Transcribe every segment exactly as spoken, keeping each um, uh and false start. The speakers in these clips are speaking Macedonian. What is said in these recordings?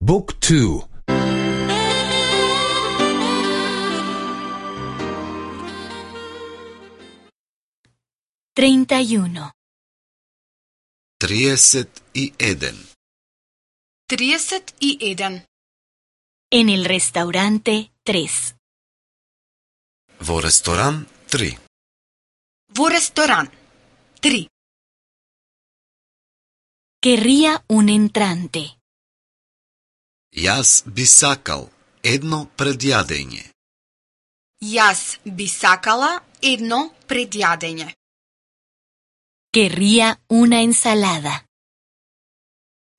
Book two. treinta y uno. триесет и еден. триесет и еден. En el restaurante tres. Во ресторан три. Во ресторан три. Querría un entrante. Јас би сакал едно предјадење. Јас би сакала едно предјадење. Querría una ensalada.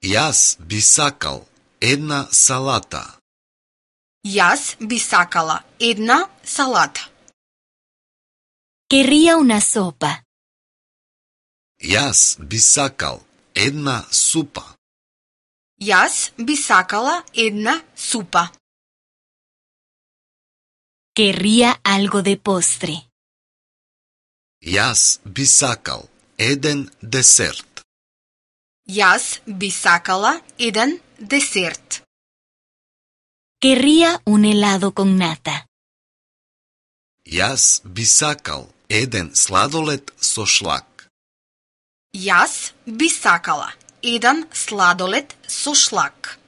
Јас би сакал една салата. Јас би сакала една салата. Querría una sopa. Јас би сакал една супа. Јас би сакала една супа. Querría algo de postre. Јас би сакал еден десерт. Јас би сакала еден десерт. Querría un helado con nata. Јас би сакал еден сладолед со шлак. Јас би сакала еден сладолед со шлак.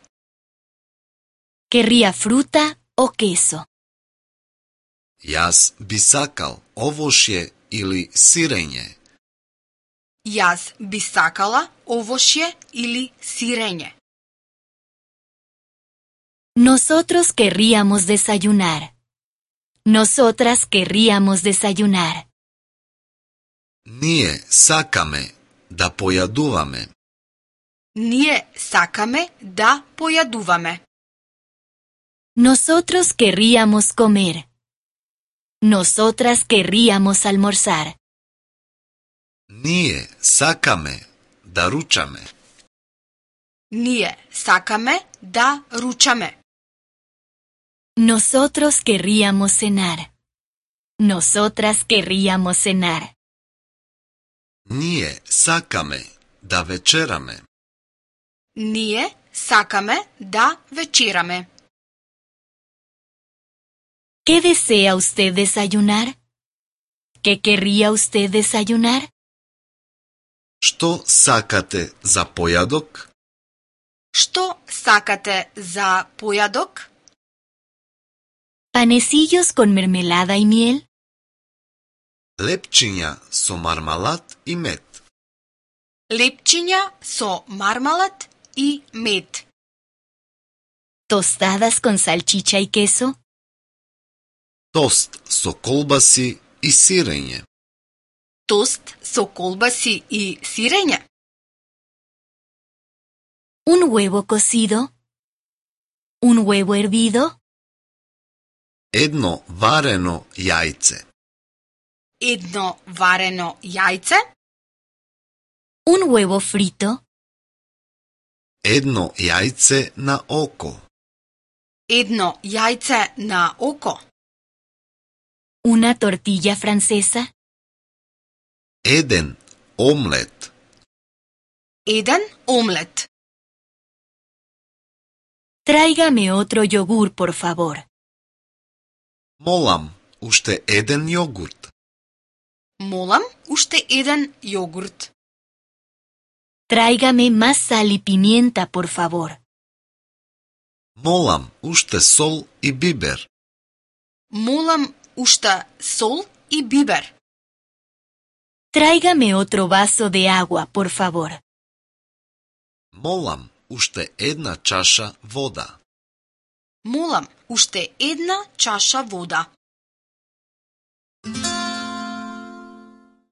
Querría fruta o queso. Јас би сакал овошје или сирење. Јас би сакала овошје или сирење. Nosotros querríamos desayunar. Nosotras querríamos desayunar. Ние сакаме да појадуваме. Ние сакаме да појадуваме. Nosotros querríamos comer. Nosotras querríamos almorzar. Ние сакаме да ручаме. Ние сакаме да ручаме. Nosotros querríamos cenar. Nosotras querríamos cenar. Ние сакаме да вечераме. Ние сакаме да вечераме. ¿Qué desea usted desayunar? ¿Qué querría usted desayunar? Што сакате за појадок? Што сакате за појадок? ¿Panecillos con mermelada y miel? Лепчиња со мармалад и мед. Лепчиња со мармалад и мед. ¿Tostadas con salchicha y queso? Тост со колбаси и сирење. Тост со колбаси и сирење. ¿Un huevo cocido? ¿Un huevo hervido? Едно варено јајце. Едно варено јајце. ¿Un huevo frito? Едно јајце на око. Едно јајце на око. ¿Una tortilla francesa? Еден омлет. Еден омлет. Tráigame otro yogur, por favor. Молам, уште еден јогурт. Молам, уште еден јогурт. Tráigame más sal y pimienta, por favor. Молам, уште сол и бибер. Молам, уште сол и бибер. Tráigame otro vaso de agua, por favor. Молам, уште една чаша вода. Молам, уште една чаша вода.